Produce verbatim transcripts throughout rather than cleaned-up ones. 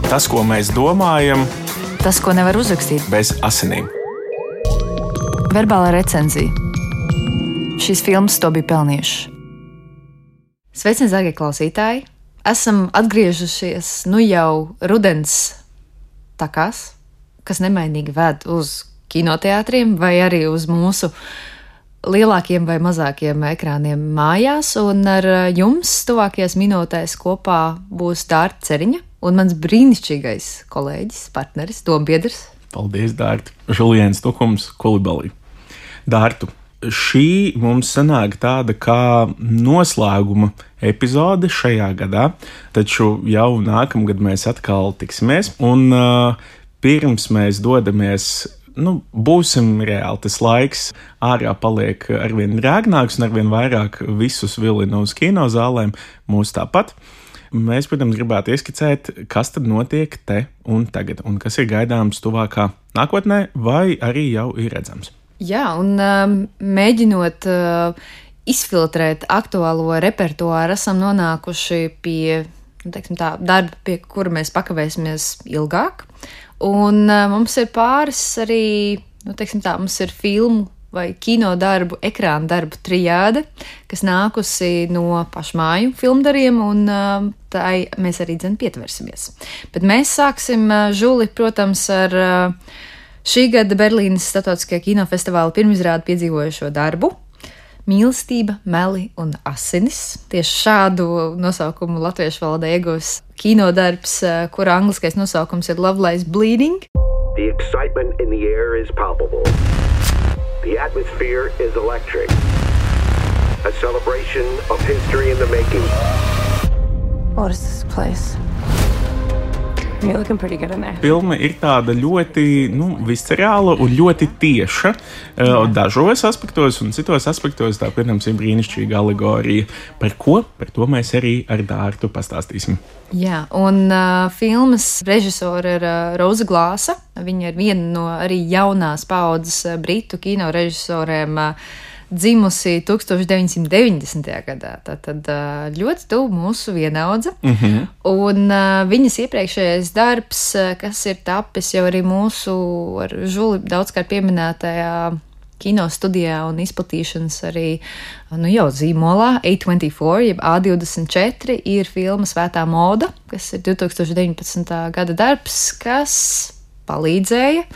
Tas, ko mēs domājam, tas, ko nevar uzrakstīt bez asinīm. Verbālā recenzija. Šīs filmas to bija pelnījušas. Sveicināti, dārgie klausītāji! Esam atgriežušies nu jau rudens takās, kas nemainīgi ved uz kinoteātriem vai arī uz mūsu lielākiem vai mazākiem ekrāniem mājās, un ar jums tuvākajās minūtēs kopā būs Dārta Ceriņa un mans brīnišķīgais kolēģis, partneris, dombiedrs. Paldies, Dārta! Žuliens Tukums, Kulibalī. Dārtu, šī mums sanāk tāda kā noslēguma epizode šajā gadā, taču jau nākamgad mēs atkal tiksimies, un uh, pirms mēs dodamies, nu, būsim reāli, tas laiks ārā paliek arvien rēgnāks un arvien vairāk visus vilina uz kinozālēm, mūs tāpat. Mēs, protams, gribētu ieskicēt, kas tad notiek te un tagad, un kas ir gaidāms tuvākā nākotnē, vai arī jau ir redzams. Jā, un um, mēģinot uh, izfiltrēt aktuālo repertuāru, esam nonākuši pie, nu, teiksim tā, darba, pie kura mēs pakavēsimies ilgāk. Un uh, mums ir pāris arī, nu, teiksim tā, mums ir filmu vai kino darbu, ekrāna darbu trijāde, kas nākusi no pašmāju filmdariem, un uh, tai mēs arī dzen pietversimies. Bet mēs sāksim, uh, Žuli, protams, ar uh, šī gada Berlīnes Startautiskajā kinofestivāla pirmizrādi piedzīvojušo darbu Mīlestība, meli un asinis. Tieši šādu nosaukumu latviešu valodā iegūs kinodarbs, kura angliskais nosaukums ir Love Lies Bleeding. The excitement in the air is palpable. The atmosphere is electric. A celebration of history in the making. What is this place? You're looking pretty good in there. Filma ir tāda ļoti, nu, viscerāla un ļoti tieša uh, dažos aspektos, un citos aspektos tā, protams, ir brīnišķīga alegorija. Par ko? Par to mēs arī ar Dārtu pastāstīsim. Jā, un uh, filmas režisora ir uh, Roza Glāsa. Viņa ir viena no arī jaunās paaudzes uh, britu kino režisoriem, uh, dzimusi tūkstoš deviņsimt deviņdesmitajā gadā, tātad ļoti tuvu mūsu vienaudze. Mm-hmm. Un uh, viņas iepriekšējais darbs, kas ir tapis jau arī mūsu ar Žuli daudzkārt pieminētajā kino studijā un izplatīšanas arī nu jau zīmolā A divdesmit četri, jeb A divdesmit četri, ir filma Svētā moda, kas ir divtūkstoš deviņpadsmitā gada darbs, kas palīdzēja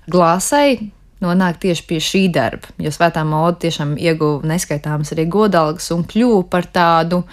Glāsai nonāk tieši pie šī darba, jo Svētā moda tiešām ieguva neskaitāmas arī godalgas un kļuva par tādu,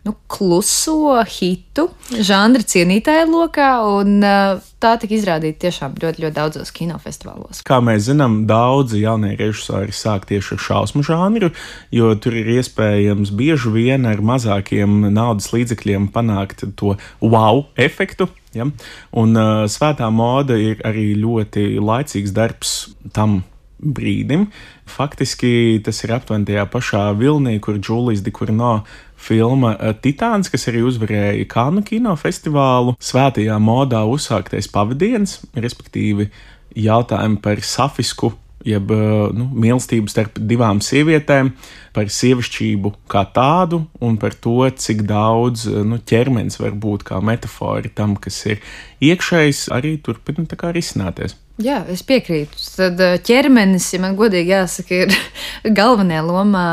nu, kluso hitu žanra cienītāju lokā, un uh, tā tika izrādīta tiešām ļoti, ļoti daudzos kinofestivālos. Kā mēs zinām, daudzi jaunie režisori sāk tieši ar šausmu žanru, jo tur ir iespējams bieži vien ar mazākiem naudas līdzekļiem panākt to wow efektu. Ja? Un uh, Svētā moda ir arī ļoti laicīgs darbs tam brīdim. Faktiski tas ir aptuveni tajā pašā vilnī, kur Džulijas de Kurno filma Titāns, kas arī uzvarēja Kannu kinofestivālu, svētajā modā uzsāktais pavadiens, respektīvi jautājumi par safisku, jeb nu, mīlestību starp divām sievietēm, par sievišķību kā tādu un par to, cik daudz nu, ķermenis var būt kā metafora tam, kas ir iekšējs, arī turpina tā kā risināties. Jā, es piekrītu. Tad ķermenis, ja man godīgi jāsaka, ir galvenajā lomā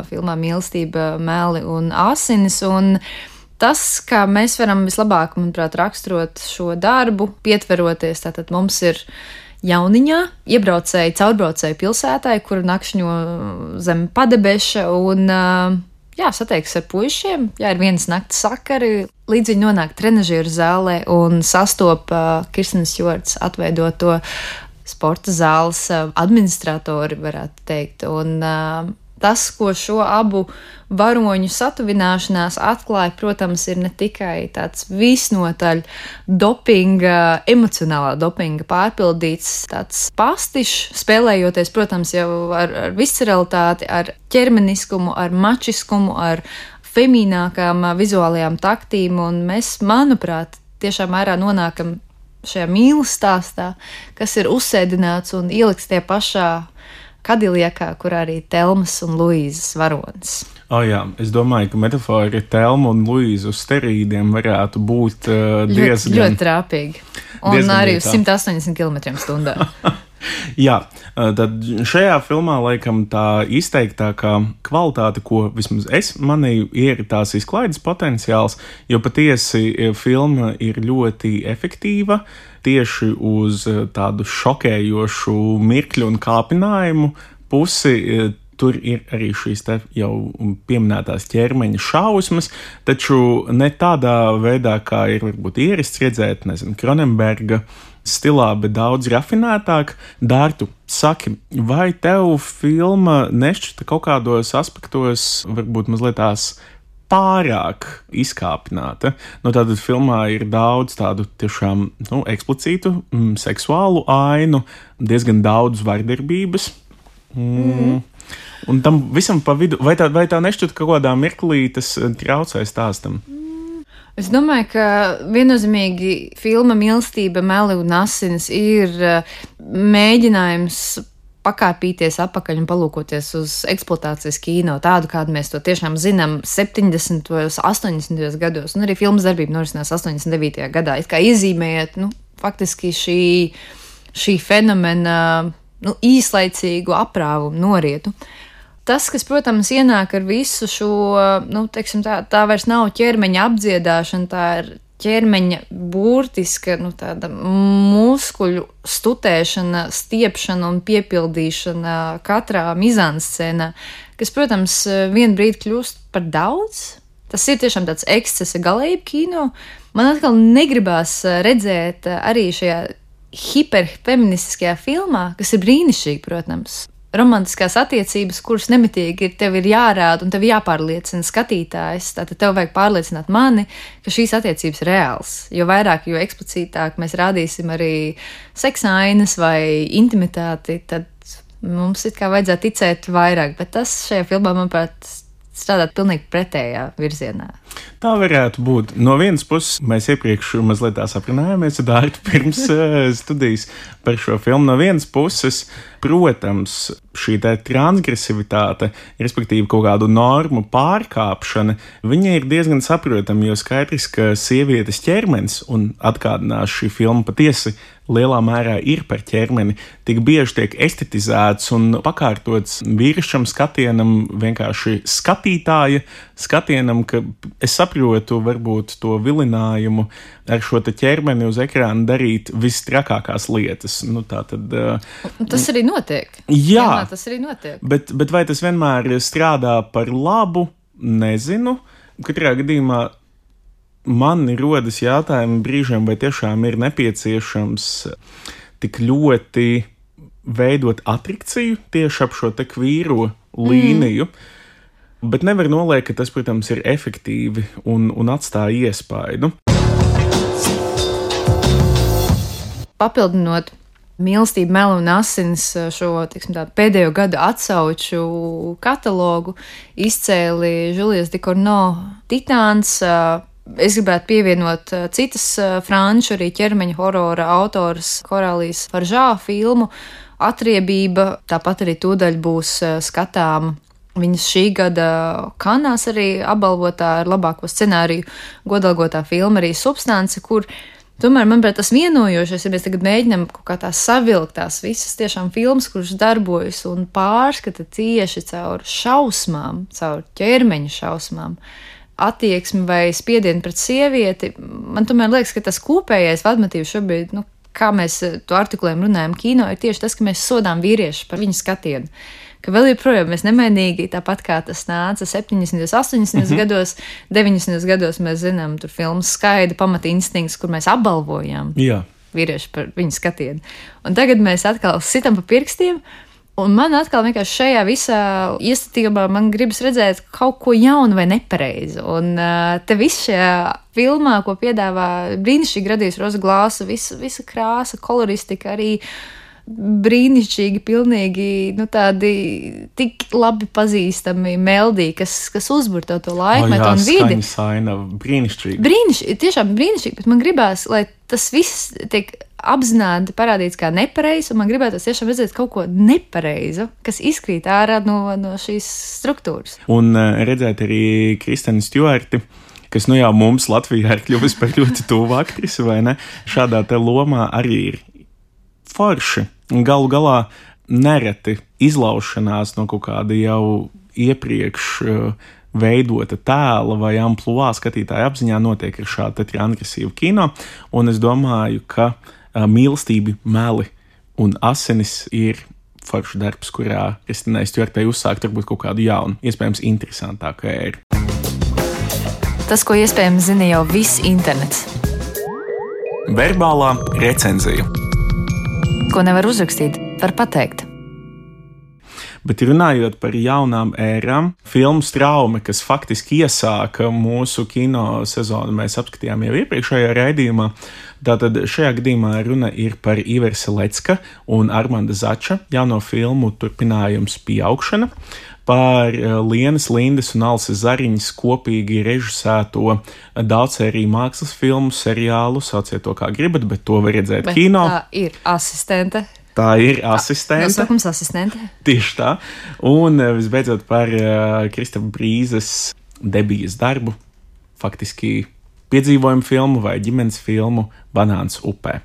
filmā Mīlestība, meli un asinis, un tas, kā mēs varam vislabāk, manuprāt, raksturot šo darbu, pietveroties, tātad mums ir jauniņā, iebraucēji, caurbraucēji pilsētai, kur nakšņo zem padebeša un, jā, sateiks ar puišiem, jā, ir vienas naktas sakari, līdz viņi nonāk trenažieru zālē un sastopa Kirstens Stjuarts atveidoto sporta zāles administratori, varētu teikt, un tas, ko šo abu varoņu satuvināšanās atklāja, protams, ir ne tikai tāds visnotaļ dopinga, emocionālā dopinga pārpildīts tāds pastišs, spēlējoties, protams, jau ar, ar visceralitāti, ar ķermeniskumu, ar mačiskumu, ar femīnākām vizuālajām taktīm, un mēs, manuprāt, tiešām mērā nonākam šajā mīlas stāstā, kas ir uzsēdināts un ielikts tie pašā Kadiljekā, kur arī Telmas un Luīzes varonis. O oh, jā, es domāju, ka metafora Telma un Luīza uz sterīdiem varētu būt uh, diezgan... Ļoti, ļoti trāpīgi. Un diezgan arī uz vietā. simt astoņdesmit kilometriem stundā. Jā, tad šajā filmā laikam tā izteiktākā kvalitāte, ko vismaz es manīju, ir tās izklaides potenciāls, jo patiesi filma ir ļoti efektīva tieši uz tādu šokējošu mirkļu un kāpinājumu pusi. Tur ir arī šīs te jau pieminētās ķermeņa šausmas, taču ne tādā veidā, kā ir varbūt ierasts redzēt, nezinu, Cronenberga stilā, bet daudz rafinētāk. Dārtu, saki, vai tev filma nešķita kaut kādos aspektos varbūt mazliet tās pārāk izkāpināta? Nu, tātad filmā ir daudz tādu tiešām, nu, eksplicītu mm, seksuālu ainu, diezgan daudz vardarbības. Mm. Mm. Un tam visam pa vidu, vai tā, vai tā nešķiet kaut kādā mirklī tas traucē stāstam? Es domāju, ka viennozīmīgi filma Mīlestība, meli un asinis ir mēģinājums pakāpīties apakaļ un palūkoties uz eksploatācijas kino, tādu, kādu mēs to tiešām zinām septiņdesmitajos, astoņdesmitajos gados, un arī filmas darbība norisinās astoņdesmit devītajā gadā. It kā iezīmējot, nu, faktiski šī, šī fenomena, nu, īslaicīgu aprāvumu norietu. Tas, kas, protams, ienāk ar visu šo, nu, teiksim, tā, tā vairs nav ķermeņa apdziedāšana, tā ir ķermeņa burtiska, nu, tāda muskuļu stutēšana, stiepšana un piepildīšana katrā mizanscēnā, kas, protams, vien brīdi kļūst par daudz. Tas ir tiešām tāds ekscesa galējība kino. Man atkal negribās redzēt arī šajā hiperfeministiskajā filmā, kas ir brīnišķīgi, protams. Romantiskās attiecības, kuras nemitīgi ir, tev ir jārāda un tev jāpārliecina skatītājs. Tātad tev vajag pārliecināt mani, ka šīs attiecības ir reāls. Jo vairāk, jo eksplicītāk mēs rādīsim arī seksa ainas vai intimitāti, tad mums it kā vajadzētu ticēt vairāk. Bet tas šajā filmā, manuprāt, strādāt pilnīgi pretējā virzienā. Tā varētu būt. No vienas puses, mēs iepriekš mazliet tā aprunājāmies ar Dārtu pirms studijas par šo filmu. No vienas puses, protams, šī tā transgresivitāte, respektīvi kaut kādu normu pārkāpšana, viņa ir diezgan saprotama, jo skaidrs, ka sievietes ķermenis, un atgādinās šī filma patiesi lielā mērā ir par ķermeni, tik bieži tiek estetizēts un pakārtots vīrišķam skatienam, vienkārši skatītāja skatienam, ka es saprotu varbūt to vilinājumu ar šo te ķermeni uz ekrāna darīt vistrakākās lietas. Nu, tā tad, uh, tas arī notiek. Jā, jā tas arī notiek. Bet, bet vai tas vienmēr strādā par labu, nezinu. Katrā gadījumā man rodas jautājumi brīžiem, vai tiešām ir nepieciešams tik ļoti veidot atrikciju tieši ap šo te kvīro līniju, mm. bet nevar noliekt, ka tas, protams, ir efektīvi un, un atstāja iespaidu. Papildinot Mīlestība, meli un asinis šo, tiksim tā, pēdējo gadu atsauču katalogu, izcēli Julius Ducournau Titāns. Es gribētu pievienot citas franču, arī ķermeņa horora autoras Korālijas Faržā filmu Atriebība, tāpat arī tūdaļ būs skatāma viņas šī gada Kanās arī apbalvotā ar labāko scenāriju godalgotā filma arī Substance, kur tomēr, manuprāt, tas vienojošais, ja mēs tagad mēģinām kaut kā tā savilkt tās visas tiešām filmas, kuras darbojas un pārskata tieši caur šausmām, caur ķermeņa šausmām, attieksmi vai spiedienu pret sievieti, man tomēr liekas, ka tas kopējais vadmotīvs šobrīd, nu, kā mēs to artikulējam runājam kino, ir tieši tas, ka mēs sodām vīriešus par viņu skatienu. Ka vēl joprojām mēs nemainīgi, tāpat kā tas nāca septiņdesmitajos, astoņdesmitajos mm-hmm. gados, deviņdesmitajos gados mēs zinām, tur filmas Skaida, Pamata instinkts, kur mēs apbalvojām Jā. vīrieši par viņu skatienu. Un tagad mēs atkal sitam pa pirkstiem, un man atkal vienkārši šajā visā iestatījumā man gribas redzēt kaut ko jaunu vai nepareizu. Un te viss šajā filmā, ko piedāvā brīnišķīgi radījis Roza Glāsa, visa, visa krāsa, koloristika arī brīnišķīgi, pilnīgi, nu tādi tik labi pazīstami meldī, kas, kas uzbur tev to laikmetu oh, un vidi. Skaņa saina, brīnišķīgi. Brīnišķīgi, tiešām brīnišķīgi, bet man gribās, lai tas viss tiek apzināti parādīts kā nepareizs, un man gribētos tiešām redzēt kaut ko nepareizu, kas izkrīt ārā no, no šīs struktūras. Un redzēt arī Kristeni Stjuarti, kas nu jau mums Latvijā ir kļuvis par ļoti tuvu aktrisi, vai ne? Šādā te lomā arī ir forši. Galu galā nereti izlaušanās no kaut kāda jau iepriekš veidota tēla vai amplua skatītāja apziņā notiek ar šādu transgresīvu kino, un es domāju, ka mīlestība, meli un asinis ir foršs darbs, kurā Kristinai Stjuartei uzsākt varbūt kaut kādu jaunu, iespējams interesantāku ēru. Tas, ko iespējams zina jau viss internets. Verbālā recenzija. Ko nevar uzrakstīt, var pateikt. Bet runājot par jaunām ērām, filmu Straume, kas faktiski iesāka mūsu kino sezonu, mēs apskatījām jau iepriekšējā raidījumā. Tātad šajā gadījumā runa ir par Ivera Selecka un Armanda Zača jauno filmu turpinājums Pieaugšana, par Lienas Lindes un Alses Zariņas kopīgi režisēto daudzsēriju mākslas filmu, seriālu, sauciet to kā gribat, bet to var redzēt bet kino. Tā ir asistente. Tā ir asistente. Nosaukums asistente. Tieši tā. Un visbeidzot par uh, Kristapa Brīzes debijas darbu, faktiski piedzīvojumu filmu vai ģimenes filmu Banāns upē.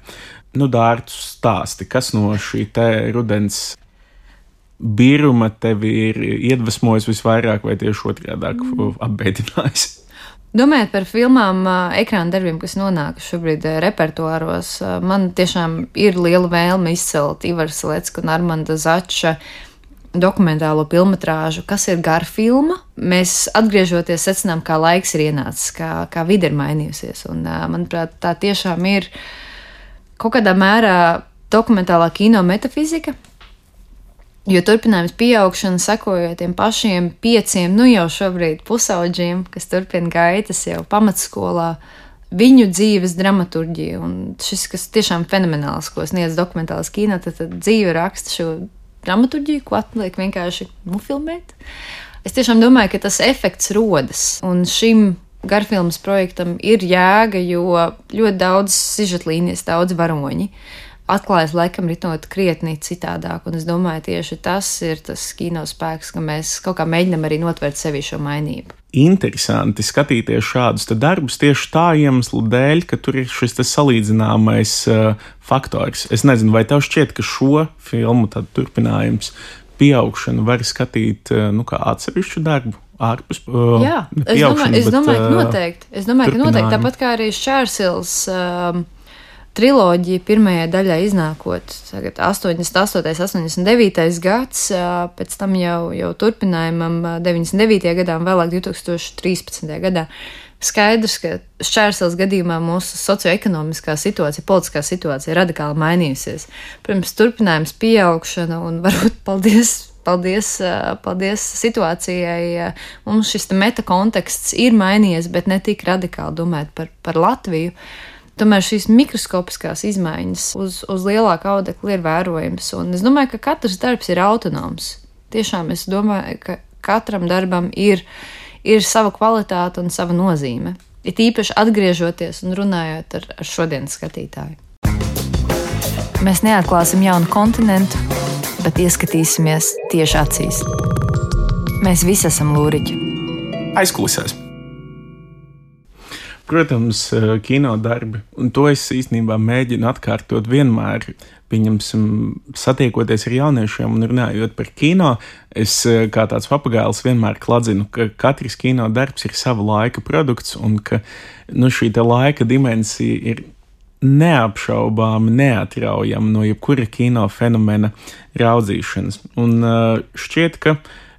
Nu, Dārtu, stāsti, kas no šī te rudens biruma tevi ir iedvesmojis visvairāk vai tieši otrādāk mm. apbēdinājis? Domājot par filmām, ekrāna darbiem, kas nonāk šobrīd repertuāros, man tiešām ir liela vēlme izcelt Ivara Selecka un Armanda Zača dokumentālo filmatrāžu, kas ir gara filma. Mēs atgriežoties secinām, kā laiks ir ienācis, kā, kā vide ir mainījusies. Un, manuprāt, tā tiešām ir kaut kādā mērā dokumentālā kino metafizika. Jo turpinājums Pieaugšana sekojot tiem pašiem pieciem, nu jau šobrīd pusaudžiem, kas turpina gaitas jau pamatskolā, viņu dzīves dramaturģija. Un šis, kas tiešām fenomenāls, ko sniedz dokumentāls kino, tad, tad dzīve raksta šo dramaturģiju, ko atliek vienkārši nofilmēt. Es tiešām domāju, ka tas efekts rodas. Un šim garfilmas projektam ir jēga, jo ļoti daudz sižetlīnijas, daudz varoņi atklājas laikam ritot krietni citādāk, un es domāju, tieši tas ir tas kino spēks, ka mēs kaut kā mēģinam arī notvērt sevi šo mainību. Interesanti skatīties šādus te darbus tieši tā iemeslu dēļ, ka tur ir šis te salīdzināmais uh, faktors. Es nezinu, vai tev šķiet, ka šo filmu tad turpinājums Pieaugšanu var skatīt uh, nu, kā atsevišķu darbu? Ārpus, uh, Jā, es domāju, es domāju, ka noteikti. Es domāju, ka noteikti tāpat kā arī Šķērsils um, triloģija pirmajai daļai iznākot tagad astoņdesmit astotais, astoņdesmit devītais gads, pēc tam jau, jau turpinājumam deviņdesmit devītajā gadā un vēlāk divi tūkstoši trīspadsmitajā gadā. Skaidrs, ka Šķērsils gadījumā mūsu socioekonomiskā situācija, politiskā situācija ir radikāli mainījusies. Protams, turpinājums Pieaugšana un varbūt paldies, paldies, paldies situācijai. Mums šis meta konteksts ir mainījies, bet ne tik radikāli domājot par, par Latviju. Tomēr šīs mikroskopiskās izmaiņas uz, uz lielāku audekli ir vērojams, un es domāju, ka katrs darbs ir autonoms. Tiešām es domāju, ka katram darbam ir, ir sava kvalitāte un sava nozīme. Ir īpaši atgriežoties un runājot ar, ar šodienas skatītāju. Mēs neatklāsim jaunu kontinentu, bet ieskatīsimies tieši acīs. Mēs visi esam lūriķi. Aizkulisēs. Protams, kino darbi, un to es īstenībā mēģinu atkārtot vienmēr, pieņemsim, satiekoties ar jauniešiem un runājot par kino, es kā tāds papagailis vienmēr kladzinu, ka katrs kino darbs ir sava laika produkts un ka nu, šī te laika dimensija ir neapšaubāmi neatraujama no jebkura kino fenomena raudzīšanas. Un šķiet, ka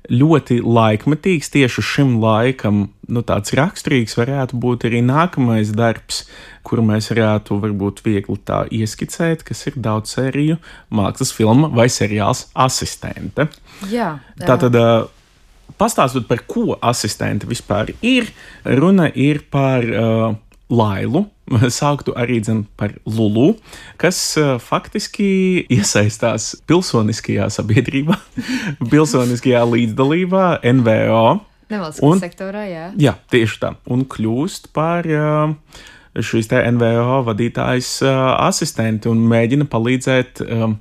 ļoti laikmetīgs tieši šim laikam, nu tāds raksturīgs varētu būt arī nākamais darbs, kuru mēs varētu varbūt viegli tā ieskicēt, kas ir daudzsēriju mākslas filma vai seriāls Asistente. Jā. jā. Tātad, pastāstot par ko asistente vispār ir, runa ir par uh, Lailu, sāktu arī dzen par Lulu, kas uh, faktiski iesaistās pilsoniskajā sabiedrībā, pilsoniskajā līdzdalībā, N V O. Nevalstiskā sektorā, jā. Jā, tieši tā. Un kļūst par uh, šīs te N V O vadītājas uh, asistenti un mēģina palīdzēt um,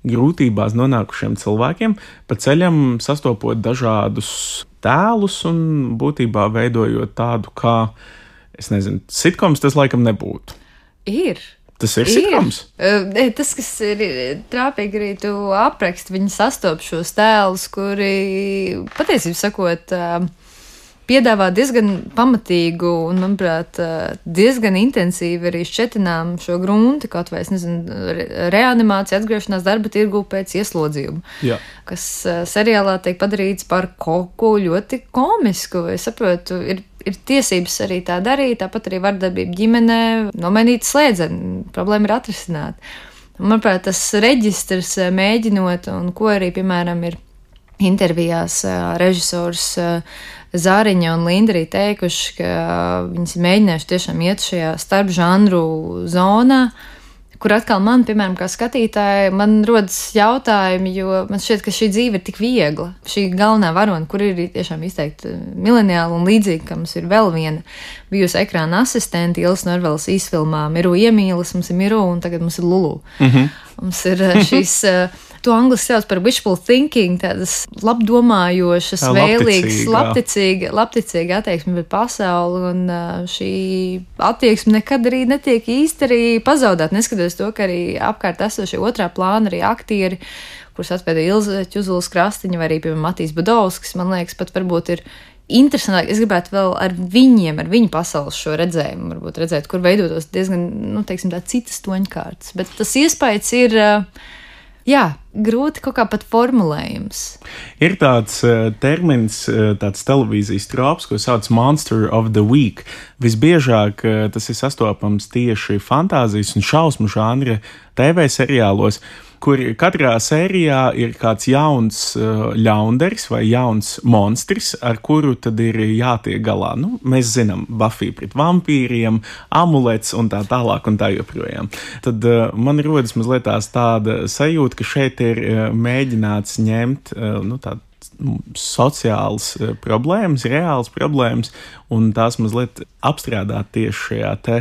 grūtībās nonākušiem cilvēkiem, pa ceļam sastopot dažādus tēlus un būtībā veidojot tādu kā, es nezinu, sitkoms tas laikam nebūtu. Ir. Tas ir sitkoms? Ir. Tas, kas ir trāpīgi arī tu apraksti, viņi sastop šos tēlus, kuri, patiesībā sakot, piedāvā diezgan pamatīgu un, manuprāt, diezgan intensīvi arī šķetinām šo grunti, kaut vai, es nezinu, reanimācija, atgriešanās darba tirgu pēc ieslodzījuma, Jā. Kas seriālā tiek padarīts par kaut ko ļoti komisku. Es saprotu, ir, ir tiesības arī tā darīt, tāpat arī vardarbība ģimenē, nomainīt slēdzeni, problēma ir atrisināt. Manuprāt, tas reģistrs mēģinot, un ko arī, piemēram, ir intervijās režisors Zāriņa un Linda arī teikuši, ka viņas ir mēģinājuši tiešām iet šajā starp žanru zonā, kur atkal man, piemēram, kā skatītāji, man rodas jautājumi, jo man šķiet, ka šī dzīve ir tik viegla. Šī galvenā varona, kur ir tiešām izteikti mileniāli un līdzīgi, ka mums ir vēl viena bijusi ekrāna asistente, Ilis Norvelas īsfilmā Miru iemīlis, mums ir Miru un tagad mums ir Lulu. Mm-hmm. Mums ir šīs... To angliski sauc par wishful thinking, tādas labdomājošas, Tā, vēlīgas, labticīga. labticīga, labticīga attieksme pret pasauli, un šī attieksme nekad arī netiek īsti arī pazaudēt, neskatoties to, ka arī apkārt esošie otrā plāna arī aktieri, kurus atspēda Ilze Ķuzulas Krastiņa vai arī, piemēram, Matīs Badovskis, man liekas, pat varbūt ir interesantāk. Es gribētu vēl ar viņiem, ar viņu pasaules šo redzējumu, varbūt redzēt, kur veidotos diezgan, nu, teiksim, tā citas toņkārtas, bet tas iespējas ir... Jā, grūti kaut kā pat formulējums. Ir tāds uh, termins, uh, tāds televīzijas trops, ko sauc Monster of the Week. Visbiežāk uh, tas ir sastopams tieši fantāzijas un šausmu žanra T V seriālos, kur katrā sērijā ir kāds jauns uh, ļaunderis vai jauns monstris, ar kuru tad ir jātiek galā. Nu, mēs zinām, Buffy pret vampīriem, amulets un tā tālāk un tā joprojām. Tad uh, man rodas mazliet tās tāda sajūta, ka šeit ir uh, mēģināts ņemt uh, nu, tādu sociālas problēmas, reālas problēmas, un tās mazliet apstrādāt tieši šajā te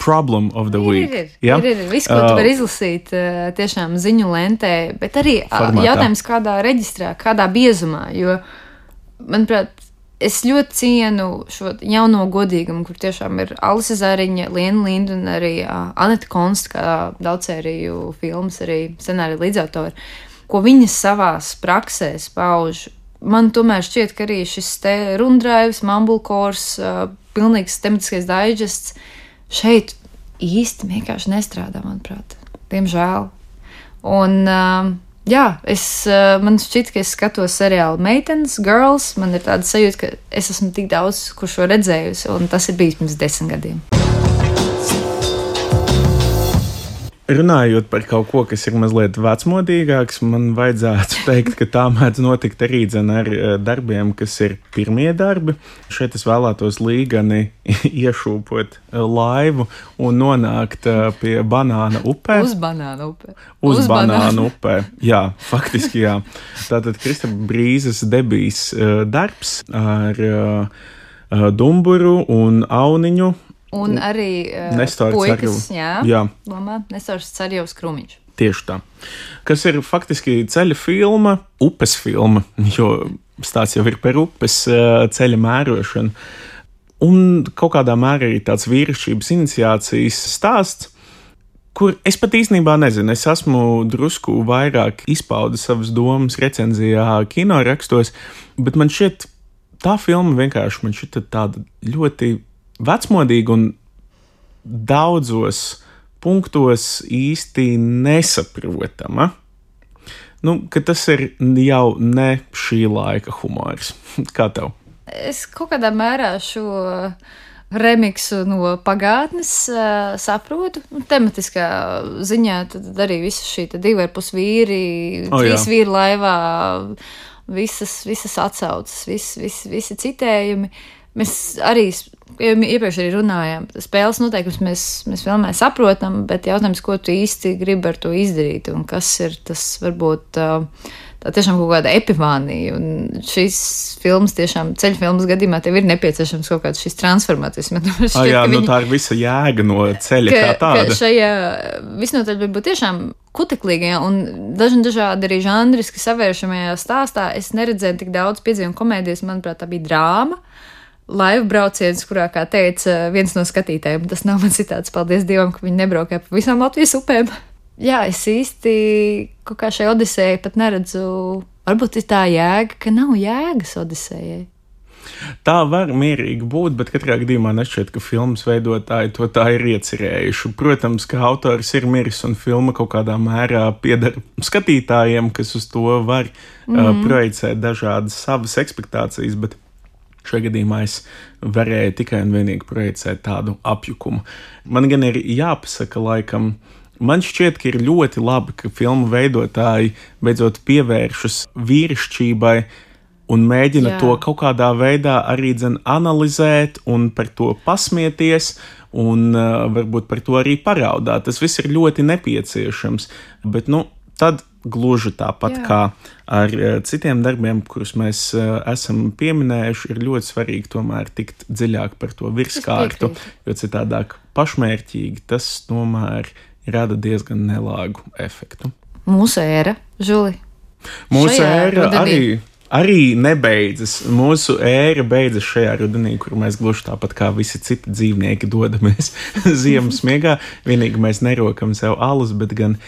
problem of the week. Ir, ir, ja? ir, ir. Viss, ko tu vari izlasīt tiešām ziņu lentē, bet arī formātā. Jautājums, kādā reģistrā, kādā biezumā, jo, manuprāt, es ļoti cienu šo jauno godīgumu, kur tiešām ir Alise Zariņa, Liena Linda un arī Aneta Konsta, kā daudzsēriju filmas, arī scenārija līdzautori, ko viņas savās praksēs pauž. Man tomēr šķiet, ka arī šis te rundraivs, mumblecores, uh, pilnīgs tematiskais daiģests šeit īsti vienkārši nestrādā, manuprāt. Diemžēl. Un, uh, jā, es, uh, man šķiet, ka es skatos seriālu Meitenes, Girls, man ir tāda sajūta, ka es esmu tik daudz, kur šo redzējusi, un tas ir bijis pirms desmit gadiem. Runājot par kaut ko, kas ir mazliet vecmodīgāks, man vajadzētu teikt, ka tā mēdz notikt arī dzen ar darbiem, kas ir pirmie darbi. Šeit es vēlētos līgani iešūpot laivu un nonākt pie Banāna upē. Uz Banāna upē. Uz, Uz Banāna upē, jā, faktiski jā. Tātad Kristapa Brīzes debijas darbs ar Dumburu un Auniņu. Un arī uh, Nestārs puikas, jā, jā. Lomā, Nestārs Carjevs Krūmiņš. Tieši tā. Kas ir faktiski ceļa filma, upes filma, jo stāsts jau ir par upes ceļa mērošanu. Un kaut kādā mērā arī tāds vīrišķības iniciācijas stāsts, kur es pat īstenībā nezinu, es esmu drusku vairāk izpaudis savas domas recenzijā kinorakstos, bet man šķiet, tā filma vienkārši man šķiet tāda ļoti vecmodīga un daudzos punktos īsti nesaprotama. Nu, ka tas ir jau ne šī laika humors. Kā tev? Es kaut kādā mērā šo remiksu no pagātnes uh, saprotu. Tematiskā ziņā tad arī visa šī divi ar pus vīri, oh, trīs vīri laivā, visas, visas atsaucas, vis, vis, visi citējumi. Mēs arī iepriekš arī runājām, spēles noteikums mēs, mēs filmē saprotam, bet jautājums, ko tu īsti gribi ar to izdarīt un kas ir tas varbūt tā tiešām kaut kāda epifānija. Un šīs filmas, tiešām ceļu filmas gadījumā, tev ir nepieciešams kaut kāds šis transformācijas. Šķiet, ah, jā, nu viņi, tā ir visa jēga no ceļa ka, kā tāda. Ka šajā visnotaļ būt tiešām kuteklīgajā un dažni dažādi arī žanriski savēršamajā stāstā es neredzēju tik daudz piedzīvumu komēdijas, manuprāt, tā bija drāma. Laivu brauciens, kurā, kā teica viens no skatītājiem, tas nav man citāts, paldies Dievam, ka viņi nebraukāja pa visām Latvijas upēm. Jā, es īsti kaut kā šai Odisejai pat neredzu, varbūt ir tā jēga, ka nav jēgas Odisejai. Tā var mierīgi būt, bet katrā gadījumā nešķiet, ka filmas veidotāji to tā ir iecerējuši. Protams, ka autors ir miris un filma kaut kādā mērā pieder skatītājiem, kas uz to var mm. uh, projicēt dažādas savas ekspektācijas, bet šajā gadījumā es varēju tikai un vienīgi projicēt tādu apjukumu. Man gan ir jāpasaka, laikam, man šķiet, ka ir ļoti labi, ka filmu veidotāji beidzot pievēršas vīrišķībai un mēģina Jā. To kaut kādā veidā arī dzen analizēt un par to pasmieties un uh, varbūt par to arī paraudāt. Tas viss ir ļoti nepieciešams, bet, nu, tad gluži tāpat Jā. Kā ar citiem darbiem, kurus mēs uh, esam pieminējuši, ir ļoti svarīgi tomēr tikt dziļāk par to virskārtu, jo citādāk pašmērķīgi tas tomēr rada diezgan nelāgu efektu. Mūsu ēra, Žuli. Mūsu Šajā ēra rudenī. arī, arī nebeidzas. Mūsu ēra beidzas šajā rudenī, kur mēs gluži tāpat kā visi citi dzīvnieki dodamies ziemas miegā. Vienīgi mēs nerokam sev alus, bet gan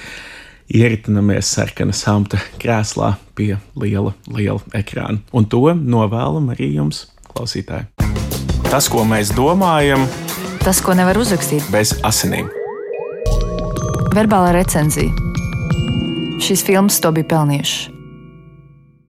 ieritinamies sarkana samta krēslā pie liela, liela ekrāna. Un to novēlam arī jums, klausītāji. Tas, ko mēs domājam, tas, ko nevar uzrakstīt bez asinīm. Verbālā recenzija. Šīs filmas to bija pelnījušas.